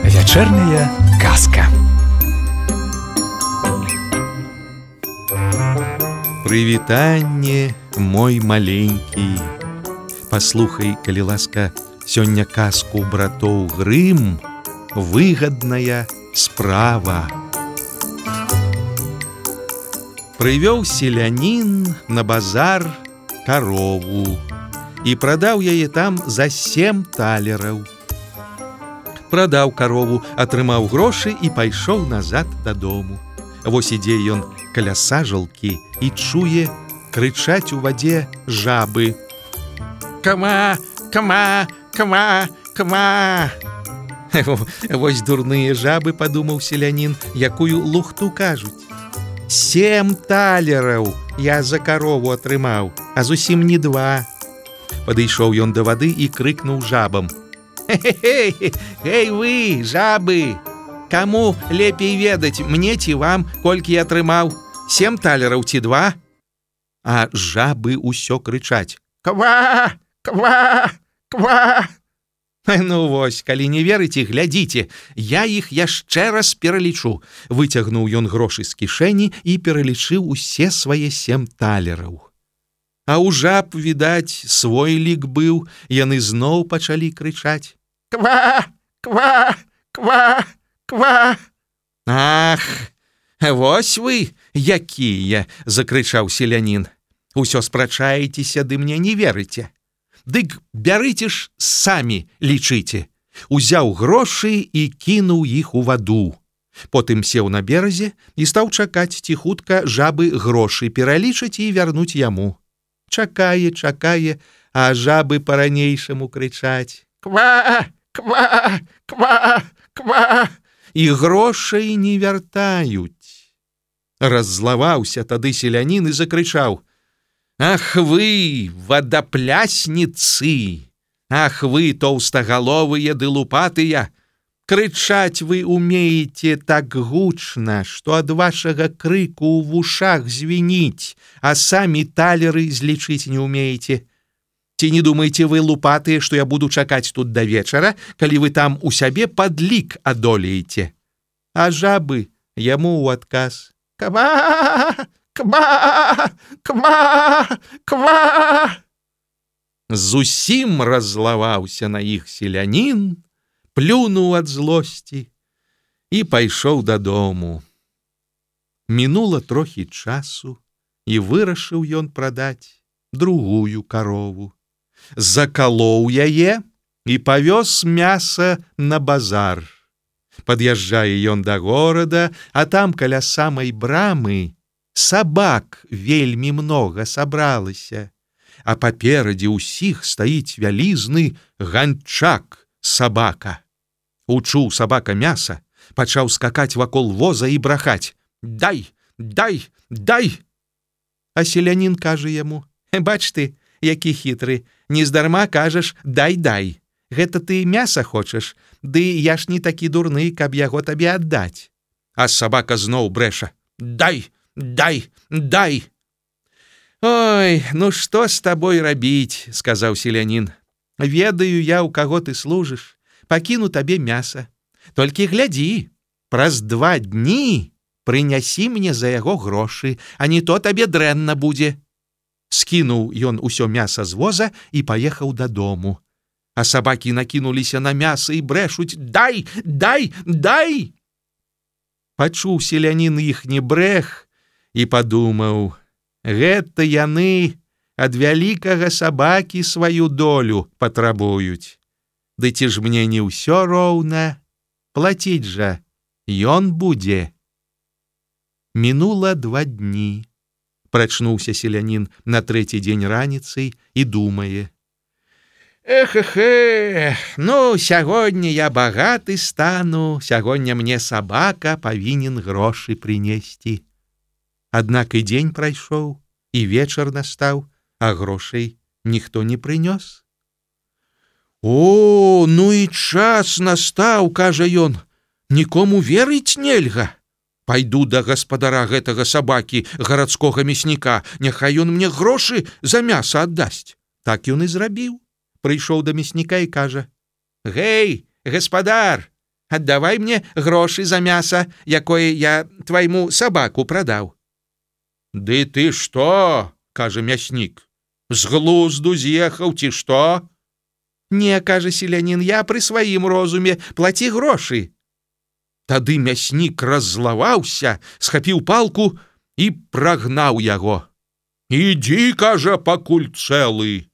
Вечерняя казка. Прывітанне, мой маленькі. Паслухай, калі ласка, сёння казку братоў Грым «Выгадная справа». Прывёў селянін на базар карову і прадаў яе там за 7 талераў. Прадаў карову, атрымаў грошы і пайшоў назад дадому. Вось ідзе ён каля сажалкі і чуе крычаць у вадзе жабы. Кама, кама, кама, кама. Вось дурныя жабы, падумаў селянін, якую лухту кажуць. 7 талераў я за карову атрымаў, а зусім не 2. Падышоў ён да вады і крыкнуў жабам. Эй вы, жабы! Каму лепей ведаць, мне ці вам, колькі я атрымаў? 7 талераў ці 2? А жабы ўсё крычаць. Ква! Ква! Ква! Ну вось, калі не верыце, глядзіце, я іх яшчэ раз пералічу. Выцягнуў ён грошы з кішэні і пералічыў усе свае 7 талераў. А ў жаб, відаць, свой лік быў, яны зноў пачалі крычаць. Ква! Ква! Ква! Ква! Ах, вось вы, якія, закрычаў селянін. Усё спрачаецеся, ды мне не верыце. Дык бярыце ж самі, лічыце. Узяў грошы і кінуў іх у ваду. Потым сеў на беразе і стаў чакаць, ці хутка жабы грошы пералічаць і вярнуць яму. Чакае, чакае, а жабы па-ранейшаму крычаць. Ква! Ква! Ква! Ква! І грошай не вяртаюць. Раззлаваўся тады селянін і закрычаў. Ах вы, вадаплясніцы! Ах вы, тоўстагаловыя ды лупатыя! Крычаць вы умееце так гучна, што ад вашага крыку ў вушах звініць, а самі талеры злічыць не умееце. Ці не думаеце вы, лупатыя, што я буду чакаць тут да вечара, калі вы там у сябе падлік адолееце? А жабы яму ў адказ. Ква! Ква! Ква! Ква! Зусім раззлаваўся на іх селянін, плюнуў ад злосці і пайшоў дадому. Мінула трохі часу, і вырашыў ён прадаць другую карову. Закалоў яе і павёз мяса на базар. Пад'язджае ён да горада, а там каля самай брамы сабак вельмі многа сабралася, а паперадзе ўсіх стаіць вялізны ганчак сабака. Учуў сабака мяса, пачаў скакаць вакол воза і брахаць. Дай, дай, дай! А селянін кажа яму. Бач ты, які хітры, нездарма кажаш дай, дай. Гэта ты мяса хочаш, ды я ж не такі дурны, каб яго табе аддаць. А сабака зноў брэша. Дай, дай, дай! Ой, ну што з табой рабіць, сказаў селянін. Ведаю я, у каго ты служыш. Пакіну табе мяса. Толькі глядзі, праз 2 дні прынясі мне за яго грошы, а не то табе дрэнна будзе. Скінуў ён усё мяса з воза і паехаў дадому. А сабакі накінуліся на мяса і брэшуць. Дай, дай, дай! Пачуў селянін іхні брэх і падумаў. Гэта яны ад вялікага сабакі сваю долю патрабуюць. Ды ці ж мне не ўсё роўна, плаціць жа ён будзе. Мінула 2 дні. Прачнуўся селянін на 3-й дзень раніцай і думае. Эх, ну, сягоння я багаты стану, сягоння мне сабака павінен грошы прынесці. Аднак і дзень прайшоў, і вечар настаў, а грошай ніхто не прынёс. О, ну і час настаў, кажа ён, нікому верыць нельга. Пайду да гаспадара гэтага сабакі, гарадскога мясніка, няхай ён мне грошы за мяса аддасць. Так ён і зрабіў. Прыйшоў да мясніка і кажа: «Гэй, гаспадар, аддавай мне грошы за мяса, якое я твайму сабаку прадаў». «Ды ты што?» – кажа мяснік. «З глузду з'ехаў ці што?» «Не, – кажа селянін, – я пры сваім розуме, плаці грошы». Тады мяснік раззлаваўся, схапіў палку і прагнаў яго. «Ідзі, – кажа, – пакуль цэлы.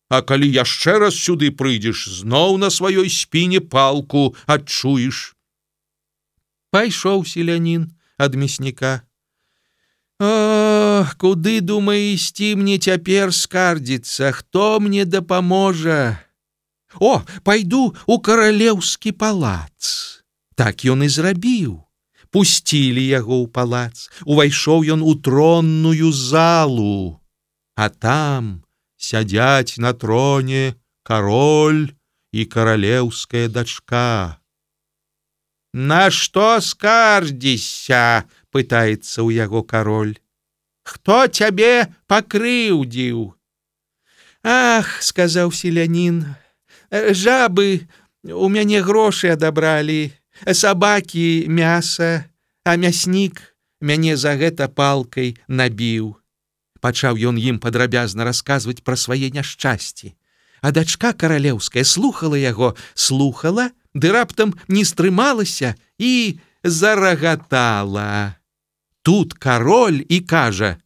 А калі яшчэ раз сюды прыйдзеш, зноў на сваёй спіне палку адчуеш». Пайшоў селянін ад мясніка. «О, куды, думае, ісці мне цяпер скардзіцца, хто мне дапаможа? О, пайду у каралеўскі палац». Так ён і зрабіў. Пусцілі яго ў палац, увайшоў ён у тронную залу, а там сядзяць на троне кароль і каралеўская дачка. «На што скардзішся?» – пытаецца ў яго кароль. «Хто цябе пакрыўдзіў?» «Ах, – сказаў селянін, – жабы у мяне грошы адабралі, сабакі мяса, а мяснік мяне за гэта палкай набіў». Пачаў ён ім падрабязна расказваць пра свае няшчасці. А дачка каралеўская слухала яго, слухала, ды раптам не стрымалася і зарагатала. Тут кароль і кажа: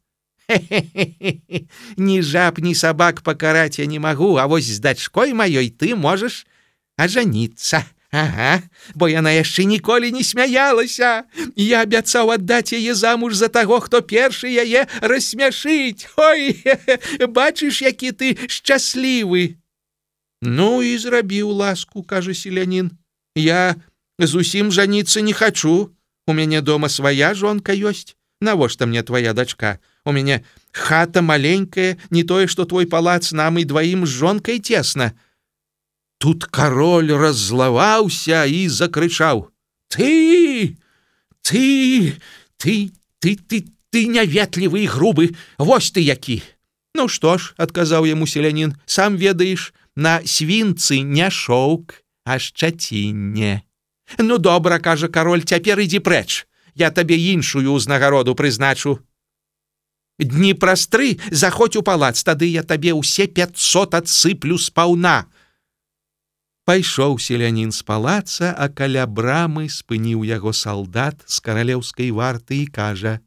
«Хе-хе-хе, ні жаб, ні сабак пакараць я не магу, а вось з дачкой маёй ты можаш ажаніцца. Ага, бо яна яшчэ ніколі не смяялася. Я абяцаў аддаць яе замуж за таго, хто першы яе рассмяшыць. Ой, бачыш, які ты шчаслівы». «Ну і зрабіў ласку, – кажа селянін. Я зусім жаніцца не хачу. У мяне дома свая жонка ёсць. Навошта мне твоя дачка? У мяне хата маленькая, не тое, што твой палац, нам і дваім з жонкай цесна». Тут кароль раззлаваўся і закрычаў: «Ты няветлівы і грубы, вось ты які!» «Ну што ж, – адказаў яму селянін, – сам ведаеш, на свінцы не шоўк, а шчацінне». «Ну добра, – кажа кароль, – цяпер ідзі прэч, я табе іншую ўзнагароду прызначу. Дні праз 3 заходзь у палац, тады я табе ўсе 500 адсыплю спаўна». Пайшоў селянін з палаца, а каля брамы спыніў яго салдат з каралеўскай варты і кажа: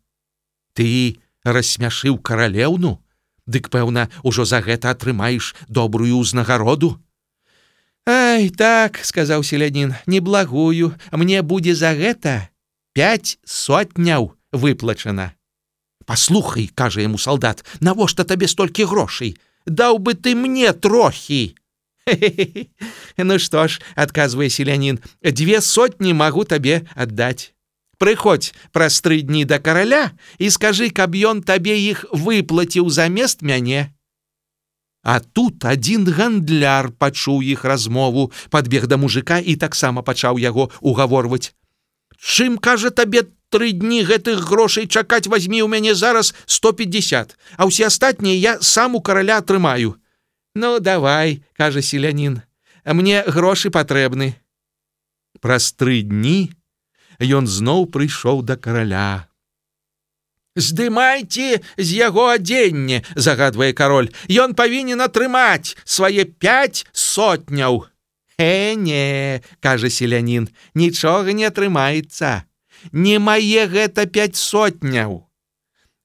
«Ты рассмяшыў каралеўну? Дык, пэўна, ужо за гэта атрымаеш добрую ўзнагароду». «Ай, так, – сказаў селянін, – неблагую, мне будзе за гэта 5 сотняў выплачана». «Паслухай, – кажа яму салдат, – навошта табе столькі грошай? Даў бы ты мне трохі». «Хе-хе-хе, ну што ж, – адказвае селянін, – 200 магу табе аддаць. Прыходзь праз 3 дні да караля і скажы, каб ён табе іх выплаціў замест мяне». А тут адзін гандляр пачуў іх размову, падбег да мужика і таксама пачаў яго угаворваць. «Чым, – кажа, – табе 3 дні гэтых грошай чакаць? Вазьмі ў мяне зараз 150, а ўсе астатнія я сам у караля атрымаю». «Ну, давай, – кажа селянін, – мне грошы патрэбны». Праз 3 дні ён зноў прыйшоў да караля. «Здымайце з яго адзенне, – загадвае кароль, – ён павінен атрымаць свае 5 сотняў». «Не, – кажа селянін, – нічога не атрымаецца. Не мае гэта 5 сотняў.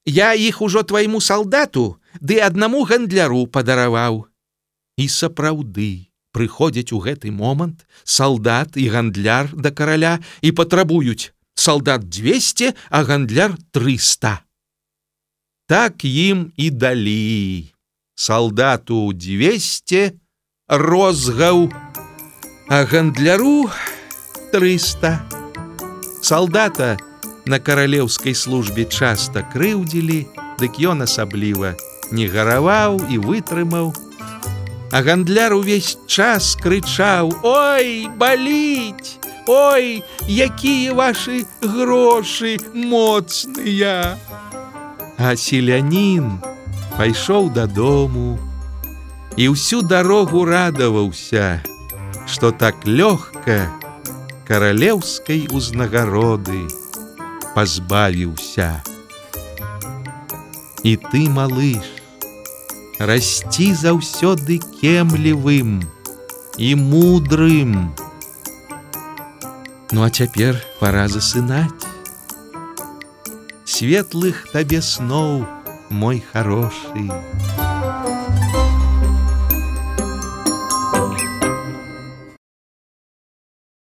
Я іх ужо твайму салдату ды аднаму гандляру падараваў». І сапраўды прыходзяць у гэты момант салдат і гандляр да караля і патрабуюць: салдат 200, а гандляр 300. Так ім і далі. Салдату 200 розгаў, а гандляру 300. Салдата на каралеўскай службе часта крыўдзілі, дык ён асабліва не гараваў і вытрымаў. А гандляр увесь час крычаў: «Ой, баліць! Ой, якія вашы грошы моцныя! А селянін пайшоў дадому і ўсю дарогу радаваўся, што так лёгка каралеўскай узнагароды пазбавіўся. І ты, малыш, расці заўсёды кемлівым і мудрым. Ну а цяпер пара засынаць. Светлых табе сноў, мой харошы.